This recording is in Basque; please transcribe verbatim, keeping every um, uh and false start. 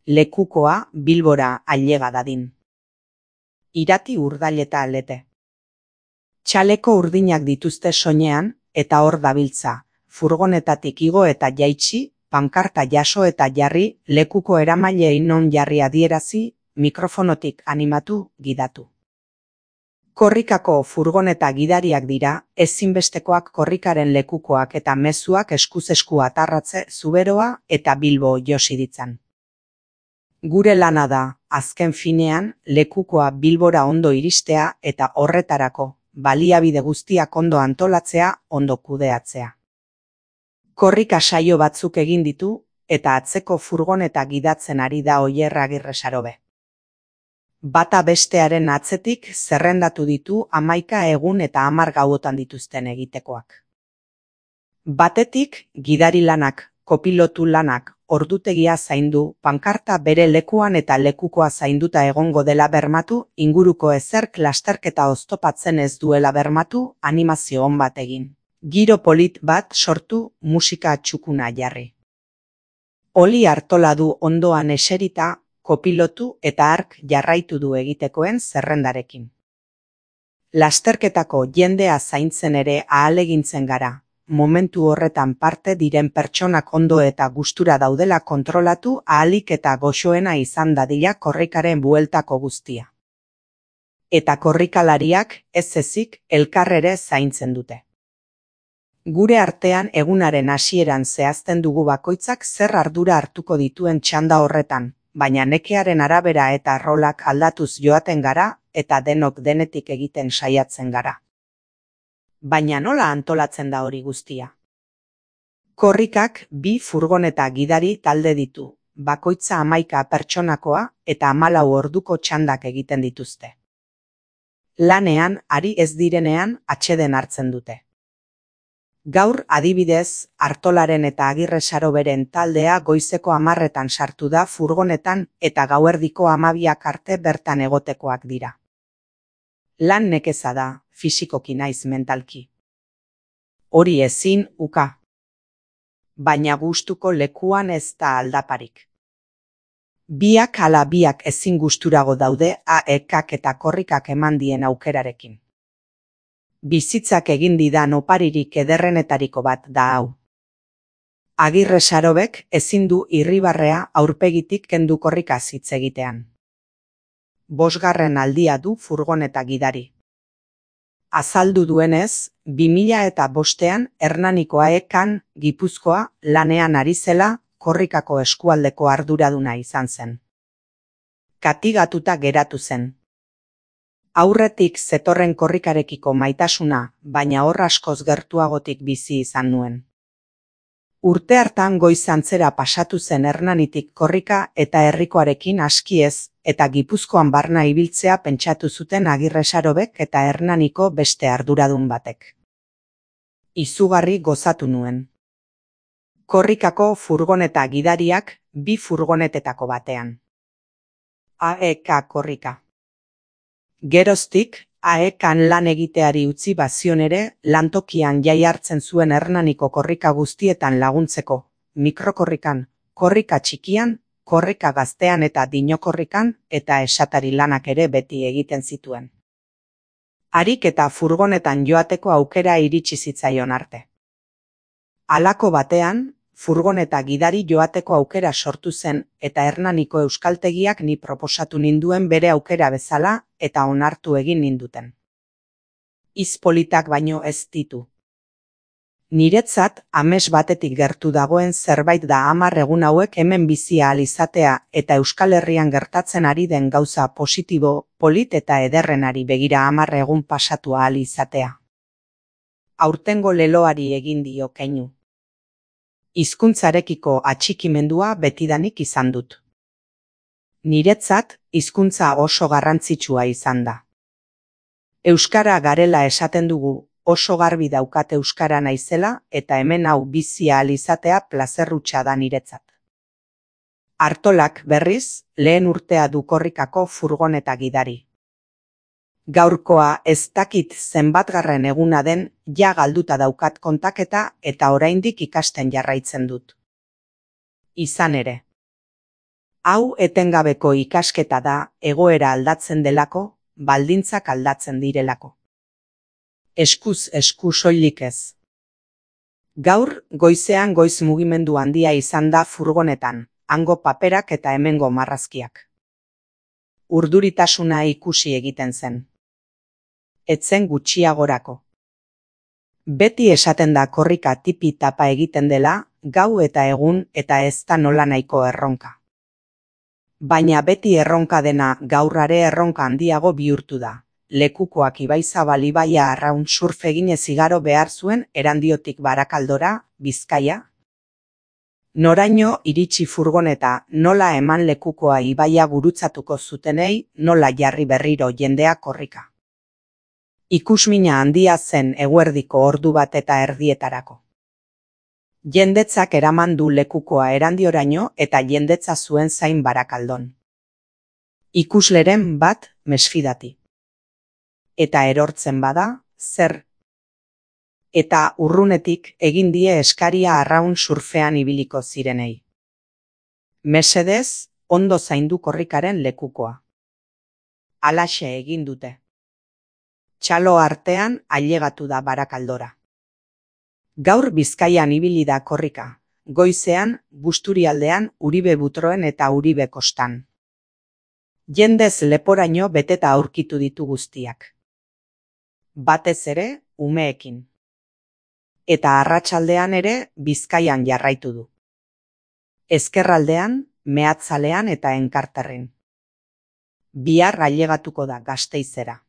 lekukoa Bilbora ailega dadin. Irati urdaileta alete. Txaleko urdinak dituzte soinean, eta hor dabiltza, furgonetatik igo eta jaitsi, pankarta jaso eta jarri, lekuko eramailei non jarri adierazi, mikrofonotik animatu, gidatu. Korrikako furgoneta gidariak dira, ezinbestekoak korrikaren lekukoak eta mezuak eskuz esku atarratze Zuberoa eta Bilbo josi ditzan. Gure lana da, azken finean, lekukoa Bilbora ondo iristea eta horretarako, baliabide guztiak ondo antolatzea, ondo kudeatzea. Korrika saio batzuk egin ditu, eta atzeko furgoneta gidatzen ari da Oier Agirre Sarobe. Bata bestearen atzetik zerrendatu ditu hamaika egun eta hamar gauotan dituzten egitekoak. Batetik, gidari lanak, kopilotu lanak, ordutegia zaindu, pankarta bere lekuan eta lekukoa zainduta egongo dela bermatu, inguruko ezerk lasterketa oztopatzen ez duela bermatu, animazio on bat egin. Giro polit bat sortu, musika txukuna jarri. Oli Artola du ondoan eserita, kopilotu eta ark jarraitu du egitekoen zerrendarekin. Lasterketako jendea zaintzen ere ahalegintzen gara, momentu horretan parte diren pertsonak ondo eta gustura daudela kontrolatu ahalik eta goxoena izan dadila korrikaren bueltako guztia. Eta korrikalariak ez ezik elkarrere zaintzen dute. Gure artean egunaren hasieran zehazten dugu bakoitzak zer ardura hartuko dituen txanda horretan, baina nekearen arabera eta rolak aldatuz joaten gara eta denok denetik egiten saiatzen gara. Baina nola antolatzen da hori guztia? Korrikak bi furgoneta gidari talde ditu, bakoitza hamaika pertsonakoa eta hamalau orduko txandak egiten dituzte. Lanean ari ez direnean atseden hartzen dute. Gaur adibidez, Artolaren eta Agirre Saroberen taldea goizeko hamarretan sartu da furgonetan eta gauerdiko hamabiak arte bertan egotekoak dira. Lan nekeza da, fisikoki naiz mentalki. Hori ezin uka. Baina gustuko lekuan ez da aldaparik. Biak ala biak ezin gusturago daude A E Kak eta korrikak eman dien aukerarekin. Bizitzak egin didan oparirik ederrenetariko bat da hau. Agirre Sarobek ezin du irribarrea aurpegitik kendu korrikaz hitz egitean. Bosgarren aldia du furgoneta gidari. Azaldu duenez, bi mila eta bostean Hernaniko A E Kan, Gipuzkoa, lanean ari zela, korrikako eskualdeko arduraduna izan zen. Katigatuta geratu zen. Aurretik zetorren korrikarekiko maitasuna, baina hor askoz gertuagotik bizi izan nuen. Urte hartan goizantzera pasatu zen Hernanitik korrika eta herrikoarekin askiez, eta Gipuzkoan barna ibiltzea pentsatu zuten Agirre Sarobek eta Hernaniko beste arduradun batek. Izugarri gozatu nuen. Korrikako furgoneta gidariak bi furgonetetako batean. A E K korrika. Geroztik, A E Kan lan egiteari utzi bazion ere, lantokian jai hartzen zuen Hernaniko korrika guztietan laguntzeko, mikrokorrikan, korrika txikian, korrika gaztean eta dinokorrikan, eta esatari lanak ere beti egiten zituen. Harik eta furgonetan joateko aukera iritsi zitzaion arte. Halako batean, furgoneta gidari joateko aukera sortu zen eta Hernaniko euskaltegiak ni proposatu ninduen bere aukera bezala eta onartu egin ninduten. Izpolitak baino ez ditu. Niretzat, ames batetik gertu dagoen zerbait da hamar egun hauek hemen bizi ahal izatea eta Euskal Herrian gertatzen ari den gauza positibo, polit eta ederrenari begira hamar egun pasatu ahal izatea. Aurtengo leloari egin dio keinu. Hizkuntzarekiko atxikimendua betidanik izan dut. Niretzat, hizkuntza oso garrantzitsua izan da. Euskara garela esaten dugu, oso garbi daukat euskara naizela eta hemen hau bizi ahal izatea plazerrutxa da niretzat. Artolak berriz, lehen urtea du korrikako furgoneta gidari. Gaurkoa ez dakit zenbatgarren eguna den, ja galduta daukat kontaketa eta oraindik ikasten jarraitzen dut. Izan ere. Hau etengabeko ikasketa da, egoera aldatzen delako, baldintzak aldatzen direlako. Eskuz esku soilik ez. Gaur, goizean goiz mugimendu handia izan da furgonetan, hango paperak eta hemengo marrazkiak. Urduritasuna ikusi egiten zen. Etzen gutxiagorako. Beti esaten da korrika tipi tapa egiten dela, gau eta egun eta ez da nola nahiko erronka. Baina beti erronka dena gaurrare erronka handiago bihurtu da. Lekukoak Ibaizabal ibaia arraun surf eginez igaro behar zuen Erandiotik Barakaldora, Bizkaia. Noraino iritsi furgoneta, nola eman lekukoa ibaia gurutzatuko zutenei, nola jarri berriro jendea korrika. Ikusmina handia zen eguerdiko ordu bat eta erdietarako. Jendetzak eraman du lekukoa Erandioraino eta jendetza zuen zain Barakaldon. Ikusleren bat mesfidati. Eta erortzen bada, zer? Eta urrunetik egin die eskaria arraun surfean ibiliko zirenei. Mesedez, ondo zaindu korrikaren lekukoa. Halaxe egin dute. Txalo artean ailegatu da Barakaldora. Gaur Bizkaian ibili da korrika, goizean, Busturialdean, Uribe Butroen eta Uribe kostan. Jendez leporaino beteta aurkitu ditu guztiak. Batez ere, umeekin. Eta arratsaldean ere, Bizkaian jarraitu du. Ezkerraldean, Meatzalean eta Enkarterren. Bihar ailegatuko da Gasteizera.